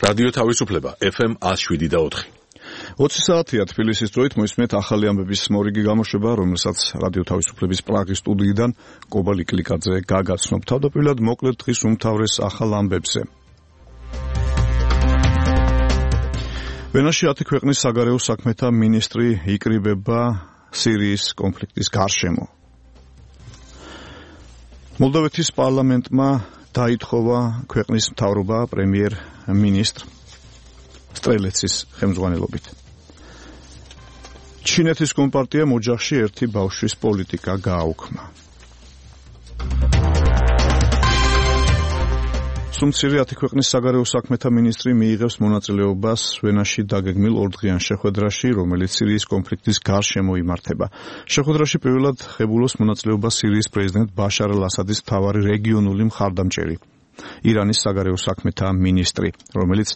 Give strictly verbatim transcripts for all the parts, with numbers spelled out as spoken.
რადიო თავისუფლება ეფ ემ one oh seven და four. ოცი საათია თბილისის დროით მოისმენთ ახალი ამბების მორიგი გამოშვება, რომელსაც რადიო თავისუფლების პრაღის სტუდიიდან კობალ იკლიკაძე გაგაცნობ. თავდაპირველად მოკლედ დღის უმთავრეს ახალ ამბებზე. ვენაში ათი ქვეყნის საგარეო საქმეთა მინისტრი იკრიბება სირიის კონფლიქტის გარშემო. მოლდოვეთის პარლამენტმა დაითხოვა ქვეყნის მთავრობა პრემიერ-მინისტრ სტრელეცის ხელმძღვანელობით. ჩინეთის კომპარტიამ ოჯახში ერთი ბავშვის პოლიტიკა გააუქმა. სუმცირე ათი ქვეყნის საგარეო საქმეთა მინისტრი მიიღებს მონაწილეობას ვენაში დაგეგმილ ორდღიან შეხვედრაში, რომელიც სირიის კონფლიქტის გარშემო იმართება. შეხვედრაში პირველად ღებულობს მონაწილეობას სირიის პრეზიდენტ ბაშარ ალ-ასადის მთავარი რეგიონული მხარდამჭერი, ირანის საგარეო საქმეთა მინისტრი, რომელიც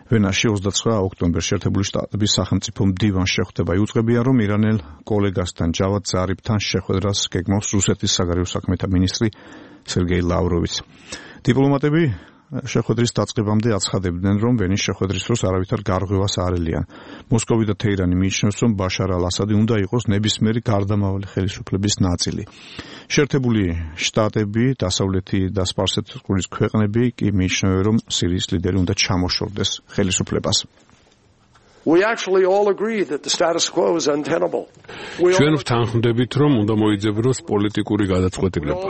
ვენაში ოცდაცხრა ოქტომბერში ერთებული შტატების სახელმწიფო მდივანს შეხვდება. იუწყებიან, რომ ირანელ კოლეგასთან ჯავად ზარიფთან შეხვედრას გეგმავს რუსეთის საგარეო საქმეთა მინისტრი სერგეი ლავროვიც. დიპლომატები შეხვედრის დაწყებამდე აცხადებდნენ, რომ ვენის შეხვედრის დროს არავითარ გარღვევას არ ელიან. მოსკოვი და თეირანი მიიჩნევს, რომ ბაშარ ალ-ასადი უნდა იყოს ნებისმიერი გარდამავალი ხელისუფლების ნაწილი. შეერთებული შტატები, დასავლეთი და სპარსეთისწყლის ქვეყნები კი მიიჩნევენ, რომ სირიის ლიდერი უნდა ჩამოშორდეს ხელისუფლებას. We actually all agree that the status quo is untenable. ჩვენ ვთანხმდებით, რომ უნდა მოიძებროს პოლიტიკური გადაწყვეტილება.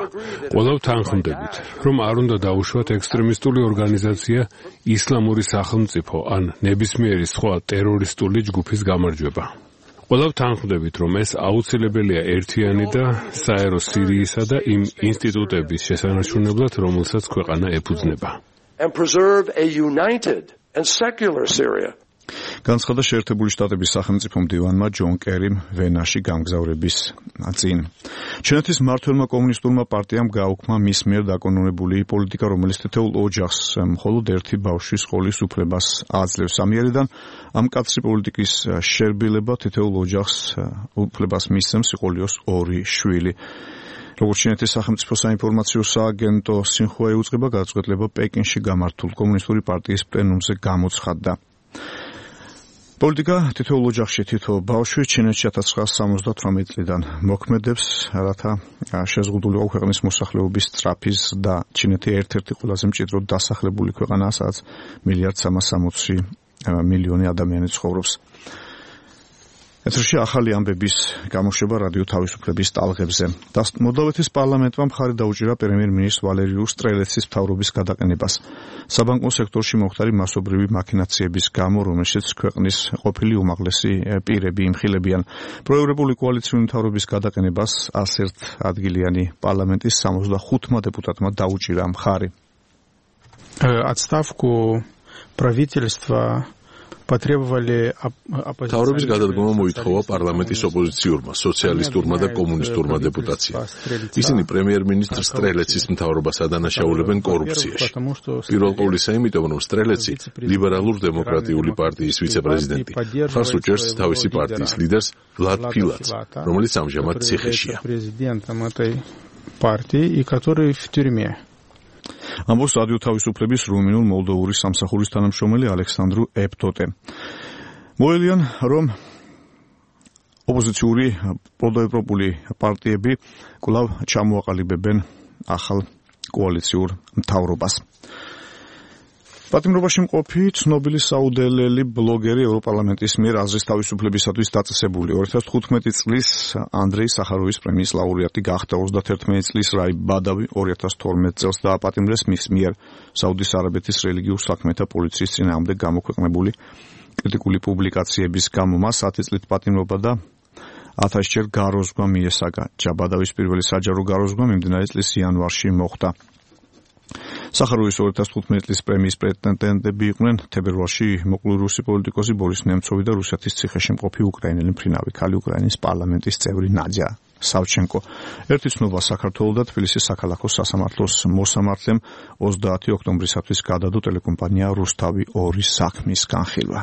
ყველა ვთანხმდებით, რომ არ უნდა დაუშვათ ექსტრემისტული ორგანიზაცია ისლამური სახელმწიფო ან ნებისმიერი სხვა ტერორისტული ჯგუფის გამარჯვება. ყველა ვთანხმდებით, რომ ეს აუცილებელია ერთიანი და საერო სირიისა და იმ ინსტიტუტების შესანარჩუნებლად, რომელსაც ქვეყანა ეფუძნება. And preserve a united and secular Syria. განცხადა შეერთებული შტატების სახელმწიფო მდივანმა ჯონ კერიმ ვენაში გამგზავრების წინ. ჩინეთის მმართველმა კომუნისტურმა პარტიამ გააუქმა მის მიერ დაკონონებული პოლიტიკა, რომელიც თითოეულ ოჯახს მხოლოდ ერთი ბავშვის სხოლის უფლებას აძლევს. ამიერიდან ამ კაცრი პოლიტიკის შერბილება თითოეულ ოჯახს უფლებას მისცემს სიყოლიოს ორი შვილი. როგორც ჩინეთის სახელმწიფო საინფორმაციო სააგენტო სინხუა ეუწყება, გადაწყვეტილება პეკინში გამართულ კომუნისტური პარტიის პლენუმზე გამოცხადდა. პოლიტიკა თითოეულ ოჯახში თითო ბავშვი ჩინეთში ათას ცხრაასი სამოცდათვრამეტი წლიდან მოქმედებს, რათა შეზღუდულიყო ქვეყნის მოსახლეობის სწრაფი და ჩინეთი ერთ-ერთი ყველაზე მჭიდროდ დასახლებული ქვეყანაა, სადაც მილიარდ სამას სამოცი მილიონი ადამიანი ცხოვრობს. ეთერში ახალი ამბების გამოშვება რადიო თავისუფლების ტალღებზე. მოლდოვეთის პარლამენტმა მხარი დაუჭირა პრემიერ-მინისტრ ვალერიუ სტრელეცის მთავრობის გადაყენებას. საბანკო სექტორში მომხდარი მასობრივი მაქინაციების გამო, რომელშიც ქვეყნის ყოფილი უმაღლესი პირები იმხილებიან. პროევროპული კოალიციური მთავრობის გადაყენებას ასერთ ადგილიანი პარლამენტის სამოცდახუთმა დეპუტატმა დაუჭირა მხარი. Отставку правительства თავრობის გადადგომა მოითხოვა პარლამენტის ოპოზიციურმა, სოციალისტურმა და კომუნისტურმა დეპუტაციამ. ისინი პრემიერ-მინისტრ სტრელეცის მთავრობას ადანაშაულებენ კორუფციაში. პირველ ყოვლისა იმიტომ, რომ სტრელეცი ლიბერალურ-დემოკრატიული პარტიის ვიცე-პრეზიდენტი, მხარს უჭერს თავისი პარტიის ლიდერს ვლად ფილატს, რომელიც ამჟამად ციხეშია. ამბობს რადიო თავისუფლების რუმინულ მოლდოვური სამსახურის თანამშრომელი ალექსანდრუ ეპტოტე. მოელიან, რომ ოპოზიციური პროდევროპული პარტიები კვლავ ჩამოაყალიბებენ ახალ კოალიციურ მთავრობას. პატიმრობაში მყოფი ცნობილი საუდელელი ბლოგერი ევროპარლამენტის მიერ აზრის თავისუფლებისათვის დაწესებული ორი ათას თხუთმეტი წლის ანდრეი სახაროვის პრემიის ლაურეატი გახდა. ოცდაათერთმეტი წლის რაი ბადავი ორი ათას თორმეტ წელს დააპატიმრეს მის მიერ საუდის არაბეთის რელიგიურ საქმეთა პოლიციის წინააღმდეგ გამოქვეყნებული კრიტიკული პუბლიკაციების გამო. მას ათი წლით პატიმრობა და ათასჯერ გაროზღვა მიესაგა. ჯაბადავის პირველი საჯარო გაროზღვა მიმდინარე წლის იანვარში მოხდა. სახაროვის ორი ათას თხუთმეტი წლის პრემიის პრეტენდენტები იყვნენ თებერვალში მოკლული რუსი პოლიტიკოსი ბორის ნემცოვი და რუსეთის ციხეში მყოფი უკრაინელი მფრინავი ქალი უკრაინის პარლამენტის წევრი ნადია სავჩენკო. ერთი ცნობა საქართველოს და თბილისის საქალაქო სასამართლოს მოსამართლემ ოცდაათი ოქტომბრისათვის გადადო ტელეკომპანია რუსთავი ორი საქმის განხილვა.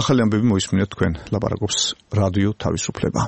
ახალი ამბები მოისმინეთ თქვენ, ლაპარაკობს რადიო თავისუფლება.